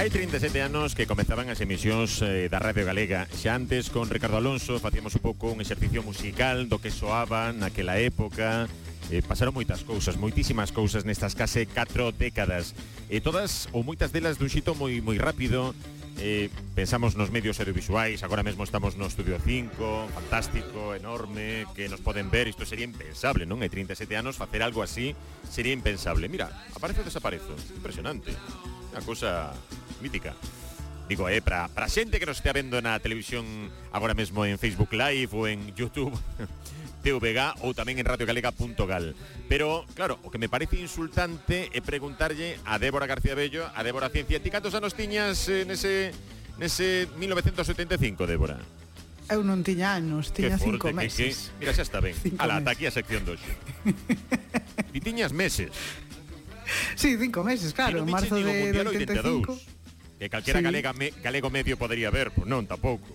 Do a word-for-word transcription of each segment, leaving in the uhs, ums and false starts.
Hai trinta e sete anos que comezaban as emisións eh, da Radio Galega. Xa antes, con Ricardo Alonso, facíamos un pouco un exercicio musical do que soaba naquela época. Eh, pasaron moitas cousas, moitísimas cousas nestas case catro décadas. E todas, ou moitas delas, dun xito moi moi rápido. Eh, pensamos nos medios audiovisuais. Agora mesmo estamos no Estudio cinco, fantástico, enorme, que nos poden ver. Isto sería impensable, non? Hai trinta e sete anos facer algo así sería impensable. Mira, aparece ou desaparezo. Impresionante. Unha cousa mítica. Digo, eh, para para xente que nos estea vendo na televisión agora mesmo en Facebook Live ou en YouTube T V G ou tamén en radio galega punto gal. Pero, claro, o que me parece insultante é preguntarlle a Débora García Bello, a Débora Ciencia, ti cantos anos tiñas eh, nese, nese mil novecientos setenta e cinco, Débora? Eu non tiña anos, tiña forte, cinco que, meses. que, mira, xa está ben. Ala, ata aquí a sección doxe. Ti tiñas meses. Sí, cinco meses, claro, en marzo de oitenta e cinco. Que calquera sí. galega me, galego medio podería ver, pois non, tampouco.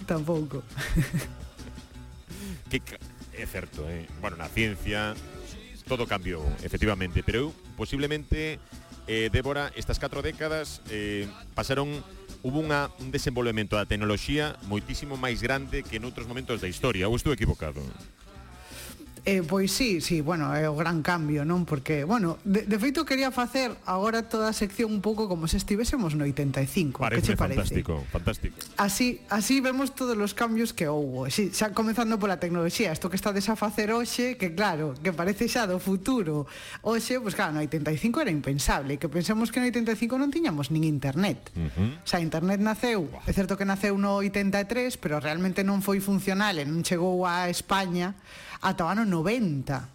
Tampouco. Que é certo, eh? Bueno, na ciencia todo cambiou, efectivamente, pero eu, posiblemente, eh, Débora, estas catro décadas eh, pasaron, hubo unha, un desenvolvemento da tecnoloxía moitísimo máis grande que noutros momentos da historia, ou estou equivocado? Eh, pois sí, sí, bueno, é o gran cambio, non? Porque, bueno, de, de feito quería facer agora toda a sección un pouco como se estivésemos no oitenta e cinco. Parece que che parece? fantástico, fantástico. Así, así vemos todos os cambios que houbo. Sí, xa comezando pola tecnoloxía, isto que estades a facer hoxe, que claro, que parece xa do futuro. Hoxe, pois claro, no oitenta e cinco era impensable, que pensemos que no oitenta e cinco non tiñamos nin internet. Uh-huh. O sea, internet naceu, é certo que naceu no oitenta e tres, pero realmente non foi funcional e non chegou a España ata o ano noventa.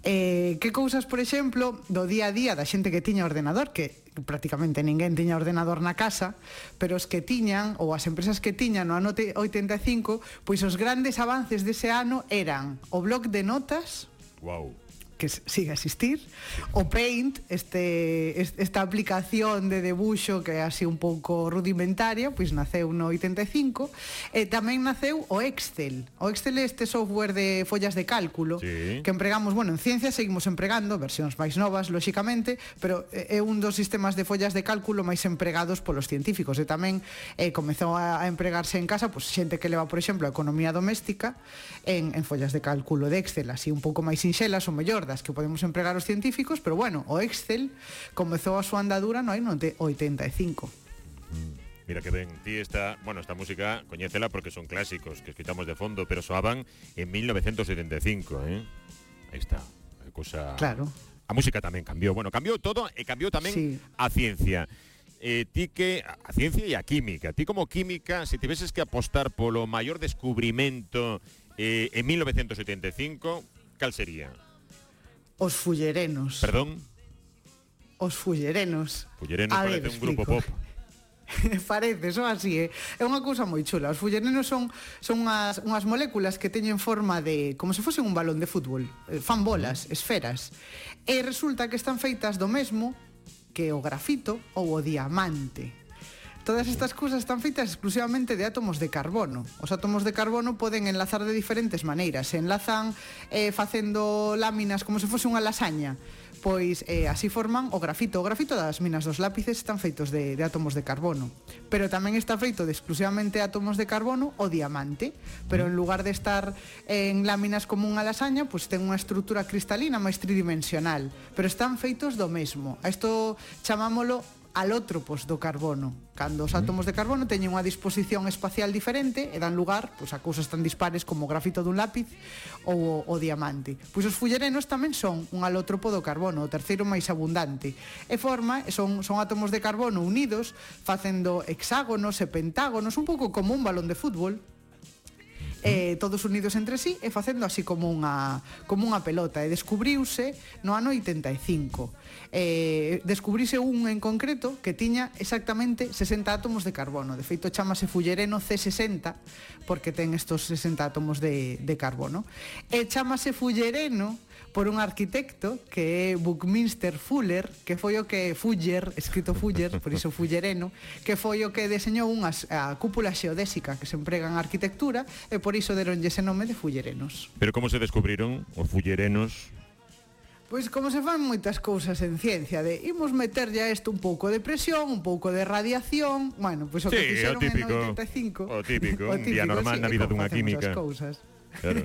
Eh, que cousas, por exemplo, do día a día da xente que tiña ordenador, que prácticamente ninguén tiña ordenador na casa, pero os que tiñan, ou as empresas que tiñan no ano oitenta e cinco, pois os grandes avances dese ano eran o bloc de notas, wow, que sigue a existir, o Paint, este, esta aplicación de debuxo que é así un pouco rudimentaria, pois naceu no oitenta e cinco, e tamén naceu o Excel. O Excel é este software de follas de cálculo, sí, que empregamos, bueno, en ciencia seguimos empregando, versións máis novas, lóxicamente, pero é un dos sistemas de follas de cálculo máis empregados polos científicos, e tamén eh, comezou a empregarse en casa, pois xente que leva, por exemplo, a economía doméstica en, en follas de cálculo de Excel, así un pouco máis sinxelas, o mellor das que podemos empregar os científicos, pero bueno, o Excel comezou a súa andadura no ano oitenta e cinco. Mira que ben, ti esta, bueno, esta música coñécela porque son clásicos que escuitamos de fondo, pero soaban en mil novecientos setenta e cinco, eh? Aí está, a cousa. Claro. A música tamén cambiou, bueno, cambiou todo e cambiou tamén sí. A ciencia. Eh, ti que a ciencia e a química, ti como química, se tiveses que apostar polo maior descubrimento eh, en mil novecientos setenta e cinco, cal sería? Os fullerenos. Perdón? Os fullerenos. Fullerenos a parece ver, un grupo pop. Parece, son así, eh? É unha cousa moi chula. Os fullerenos son son unhas, unhas moléculas que teñen forma de, como se fose un balón de fútbol, eh, fan bolas, esferas. E resulta que están feitas do mesmo que o grafito ou o diamante. Todas estas cousas están feitas exclusivamente de átomos de carbono. Os átomos de carbono poden enlazar de diferentes maneiras. Se enlazan eh, facendo láminas como se fose unha lasaña, pois eh, así forman o grafito. O grafito das minas dos lápices están feitos de, de átomos de carbono. Pero tamén está feito de exclusivamente átomos de carbono o diamante. Pero en lugar de estar en láminas como unha lasaña, pois ten unha estrutura cristalina máis tridimensional. Pero están feitos do mesmo. A isto chamámolo alótropos do carbono, cando os átomos de carbono teñen unha disposición espacial diferente e dan lugar pois, a cousas tan dispares como o grafito dun lápiz ou o, o diamante. Pois os fullerenos tamén son un alótropo do carbono, o terceiro máis abundante. E forma, son, son átomos de carbono unidos, facendo hexágonos e pentágonos, un pouco como un balón de fútbol, eh, todos unidos entre sí e facendo así como unha como unha pelota, e descubriuse no ano oitenta e cinco. Eh, descubrise un en concreto que tiña exactamente sesenta átomos de carbono. De feito chamase fullereno C sesenta porque ten estos sesenta átomos de, de carbono. E chamase fullereno por un arquitecto que é Buckminster Fuller, que foi o que Fuller, escrito Fuller, por iso fullereno, que foi o que deseñou unhas, a cúpula xeodésica que se emprega en arquitectura, e por iso deronlle ese nome de fullerenos. Pero como se descubriron os fullerenos? Pois como se fan moitas cousas en ciencia, de imos meterlle a isto un pouco de presión, un pouco de radiación, bueno, pois o que sí, fixeron o típico, en oitenta e cinco. O típico, o un día normal sí, na vida dunha como química. facemos as cousas. Claro.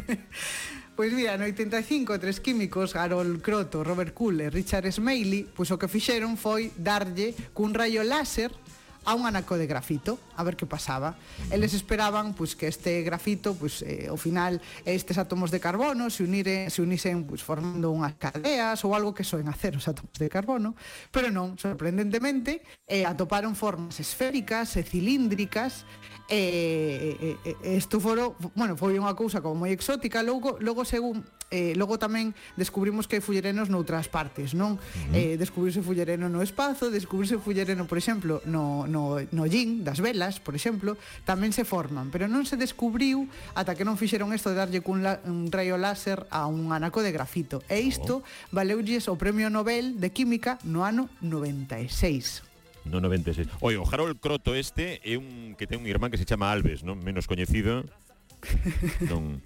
Pois mira, no oitenta e cinco, tres químicos, Harold Kroto, Robert Cool e Richard Smalley, pois o que fixeron foi darlle cun rayo láser a un anaco de grafito, a ver que pasaba. Eles esperaban pois que este grafito, pois eh, ao final estes átomos de carbono se uniren, se unisen pois formando unhas cadeas ou algo que soen hacer os átomos de carbono, pero non, sorprendentemente, eh, atoparon formas esféricas e cilíndricas. E, e, e isto foro, bueno, foi unha cousa como moi exótica. Logo, logo según eh, logo tamén descubrimos que hai fullerenos noutras partes, non? Uh-huh. Eh, descubrirse fullereno no espazo, descubrirse fullereno, por exemplo, no, no, no yin das velas, por exemplo, tamén se forman, pero non se descubriu ata que non fixeron isto de darlle cun la, un rayo láser a un anaco de grafito. E isto oh. valeulles o Premio Nobel de Química no ano noventa e seis. No noventa e seis. Oye, o Harold Kroto este é un que ten un irmán que se chama Alves, non? Menos coñecido. non,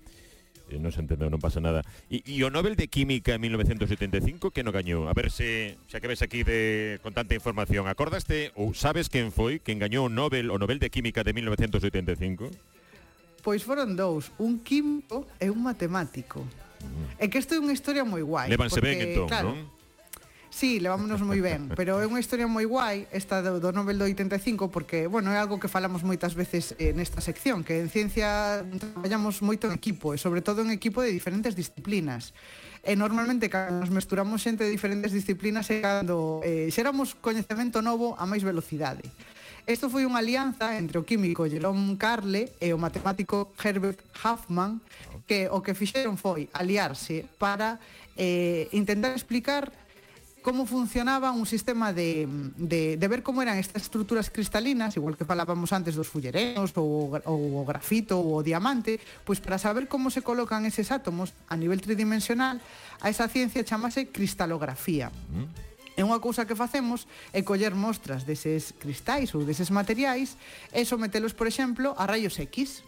eh, non se entendeu, non pasa nada. E, e o Nobel de Química en mil novecientos setenta e cinco, que non gañou? A ver se, xa que ves aquí de, con tanta información, acordaste ou sabes quen foi quen gañou o Nobel, o Nobel de Química de mil novecientos setenta e cinco? Pois foron dous, un químico e un matemático. Mm. É que isto é unha historia moi guai. Lévanse porque, ben, entón, claro, non? Sí, levámonos moi ben, pero é unha historia moi guai esta do, do Nobel do oitenta e cinco, porque, bueno, é algo que falamos moitas veces eh, nesta sección, que en ciencia traballamos moito en equipo, e sobre todo en equipo de diferentes disciplinas. E normalmente cando nos mesturamos xente de diferentes disciplinas é cando eh, xeramos coñecemento novo a máis velocidade. Isto foi unha alianza entre o químico Jerome Carle e o matemático Herbert Huffman, que o que fixeron foi aliarse para eh, intentar explicar como funcionaba un sistema de, de, de ver como eran estas estruturas cristalinas, igual que falábamos antes dos fullerenos ou, ou o grafito ou o diamante, pois para saber como se colocan eses átomos a nivel tridimensional, a esa ciencia chamase cristalografía. E unha cousa que facemos é coller mostras deses cristais ou deses materiais e sometelos, por exemplo, a rayos X.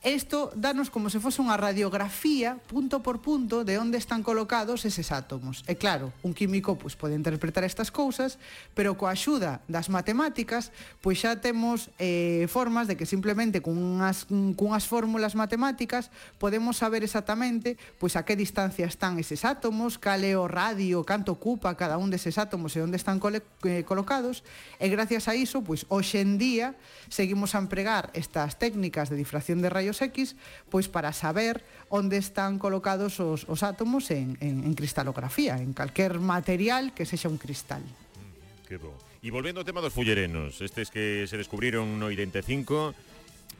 Isto danos como se fose unha radiografía punto por punto de onde están colocados eses átomos. E claro, un químico pois, pode interpretar estas cousas, pero coa axuda das matemáticas pois xa temos eh, formas de que simplemente cunhas, cunhas fórmulas matemáticas podemos saber exactamente pois a que distancia están eses átomos, cal é o radio, canto ocupa cada un deses átomos e onde están cole, eh, colocados, e gracias a iso pois hoxe en día seguimos a empregar estas técnicas de difracción de rayos X, pois para saber onde están colocados os, os átomos en, en, en cristalografía, en calquer material que sexa un cristal. Mm, que bo. E volvendo ao tema dos fullerenos, estes que se descubriron no oitenta e cinco,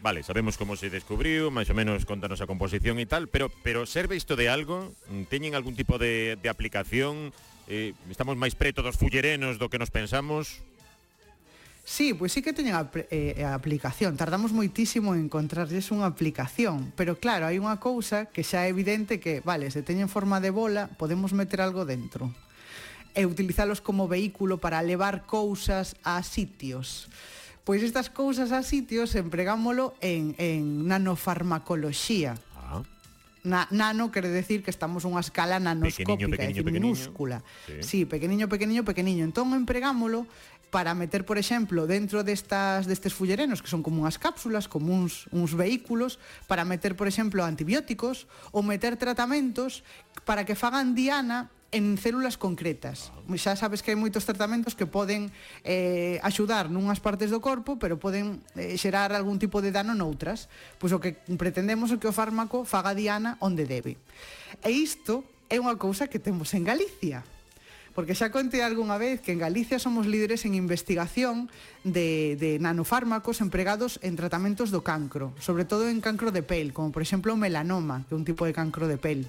vale, sabemos como se descubriu, máis ou menos contanos a composición e tal, pero pero serve isto de algo? Teñen algún tipo de, de aplicación? Eh, estamos máis preto dos fullerenos do que nos pensamos? Sí, pois sí que teñen a, eh, a aplicación. Tardamos moitísimo en encontrarlles unha aplicación, pero claro, hai unha cousa que xa é evidente que, vale, se teñen forma de bola, podemos meter algo dentro e utilizalos como vehículo para levar cousas a sitios. Pois estas cousas a sitios empregámolo en, en nanofarmacoloxía. Ah. Na, nano quere decir que estamos unha escala nanoscópica, pequeniño, pequeniño, é dicir, minúscula. Sí. Sí, pequeniño, pequeniño, pequeniño. Entón empregámolo para meter, por exemplo, dentro destas destes fullerenos, que son como unhas cápsulas, como uns, uns vehículos, para meter, por exemplo, antibióticos ou meter tratamentos para que fagan diana en células concretas. Xa sabes que hai moitos tratamentos que poden eh, axudar nunhas partes do corpo, pero poden eh, xerar algún tipo de dano noutras. Pois o que pretendemos é que o fármaco faga diana onde debe. E isto é unha cousa que temos en Galicia. Porque xa contei algunha vez que en Galicia somos líderes en investigación de, de nanofármacos empregados en tratamentos do cancro, sobre todo en cancro de pel, como por exemplo o melanoma, que é un tipo de cancro de pel.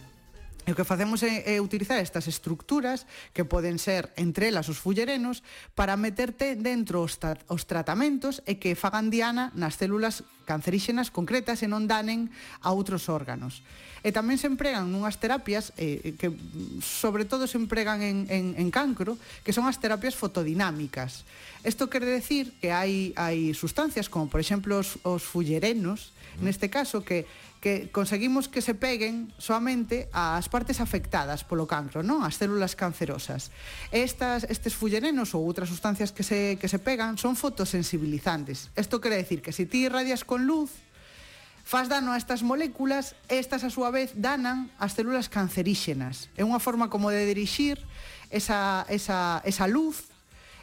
E o que facemos é, é utilizar estas estructuras, que poden ser entre elas os fullerenos, para meterte dentro os, tra os tratamentos e que fagan diana nas células canceríxenas concretas e non danen a outros órganos. E tamén se empregan nunhas terapias eh, que sobre todo se empregan en, en, en cancro, que son as terapias fotodinámicas. Isto quere decir que hai, hai sustancias como, por exemplo, os, os fullerenos, neste caso, que que conseguimos que se peguen soamente ás partes afectadas polo cancro, non? As células cancerosas. Estas, estes fullerenos ou outras sustancias que se, que se pegan son fotosensibilizantes. Isto quere decir que se ti irradias con luz, faz dano a estas moléculas, estas a súa vez danan as células canceríxenas. É unha forma como de dirixir esa, esa, esa luz,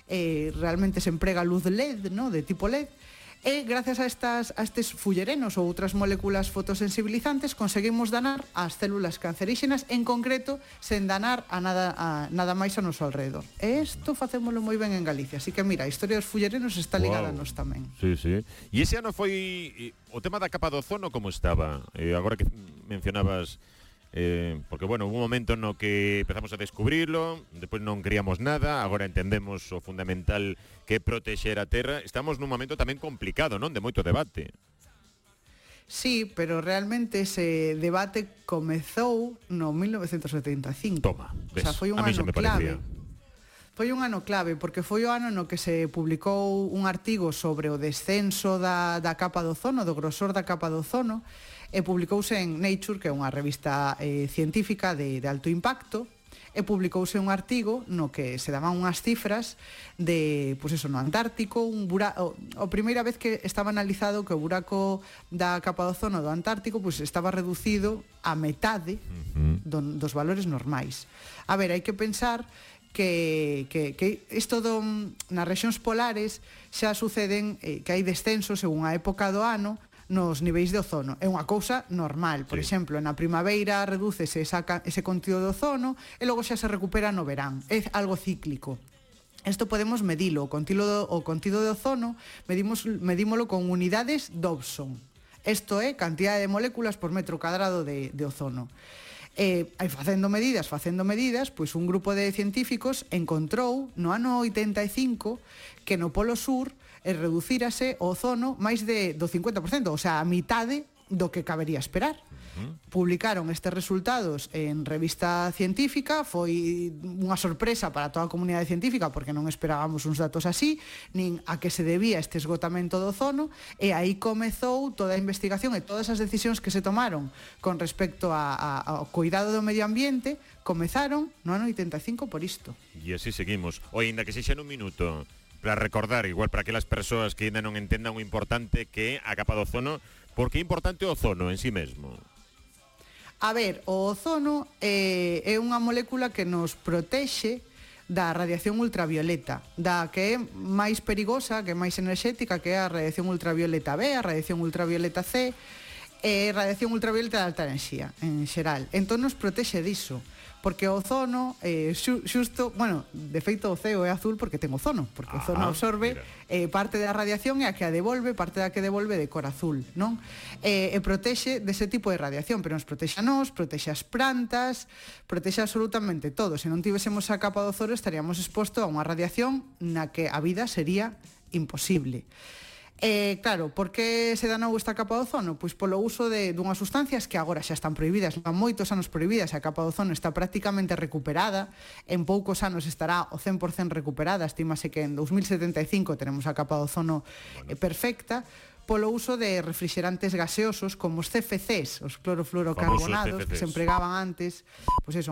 eh, realmente se emprega luz L E D, no? De tipo L E D, e gracias a, estas, a estes fullerenos ou outras moléculas fotosensibilizantes conseguimos danar as células canceríxenas, en concreto sen danar a nada, a, nada máis a noso alrededor. E isto facémolo moi ben en Galicia, así que mira, a historia dos fullerenos está ligada wow. a nos tamén. Sí, sí. E ese ano foi o tema da capa do ozono como estaba? Eh, agora que mencionabas Eh, porque, bueno, hubo un momento no que empezamos a descubrirlo, despois non queríamos nada, agora entendemos o fundamental que é protexer a terra. Estamos nun momento tamén complicado, non? De moito debate. Sí, pero realmente ese debate comezou no mil novecentos setenta e cinco. Toma, ves, o sea, foi un a mí ano se me clave. parecía. Foi un ano clave, porque foi o ano no que se publicou un artigo sobre o descenso da, da capa do ozono, do grosor da capa do ozono, e publicouse en Nature, que é unha revista eh, científica de, de alto impacto, e publicouse un artigo no que se daban unhas cifras de, pois eso, no Antártico, un bura... o, o primeira vez que estaba analizado que o buraco da capa do ozono do Antártico pois estaba reducido a metade uh-huh. do, dos valores normais. A ver, hai que pensar que, que, que isto do, nas rexións polares xa suceden eh, que hai descensos según a época do ano nos niveis de ozono. É unha cousa normal. Por sí. exemplo, na primavera redúcese esa, ese contido de ozono e logo xa se recupera no verán. É algo cíclico. Isto podemos medilo. O contido, o contido de ozono medimos, medímolo con unidades Dobson. Isto é cantidade de moléculas por metro cadrado de, de ozono. E, aí facendo medidas, facendo medidas, pois un grupo de científicos encontrou no ano oitenta e cinco que no Polo Sur e reducírase o ozono máis de, do cincuenta por cento, o sea, a mitade do que cabería esperar. Uh-huh. Publicaron estes resultados en revista científica, foi unha sorpresa para toda a comunidade científica porque non esperábamos uns datos así, nin a que se debía este esgotamento do ozono, e aí comezou toda a investigación e todas as decisións que se tomaron con respecto a, a, ao cuidado do medio ambiente comezaron no ano oitenta e cinco por isto. E así seguimos. Oi, ainda que sexa nun minuto, para recordar, igual para aquelas persoas que ainda non entendan o importante que é a capa do ozono, porque é importante o ozono en sí mesmo. A ver, o ozono eh, é unha molécula que nos protexe da radiación ultravioleta, da que é máis perigosa, que é máis enerxética, que é a radiación ultravioleta B, a radiación ultravioleta C, e radiación ultravioleta de alta enerxía, en xeral. Entón nos protexe diso, porque o ozono, eh, xusto, bueno, de feito o ceo é azul porque ten ozono, porque o ozono absorbe eh, parte da radiación e a que a devolve, parte da que devolve de cor azul, non? E, e protexe dese tipo de radiación, pero nos protexe a nós, protexe as plantas, protexe absolutamente todo. Se non tivésemos a capa do ozono estaríamos exposto a unha radiación na que a vida sería imposible. Eh, claro, por que se danou esta capa do ozono? Pois polo uso de dunhas sustancias que agora xa están prohibidas, van moitos anos prohibidas, a capa do ozono está prácticamente recuperada, en poucos anos estará o cen por cento recuperada, estímase que en dos mil setenta e cinco tenemos a capa do ozono eh, perfecta, polo uso de refrigerantes gaseosos como os C F Cs, os clorofluorocarbonados, que se empregaban antes, pois eso,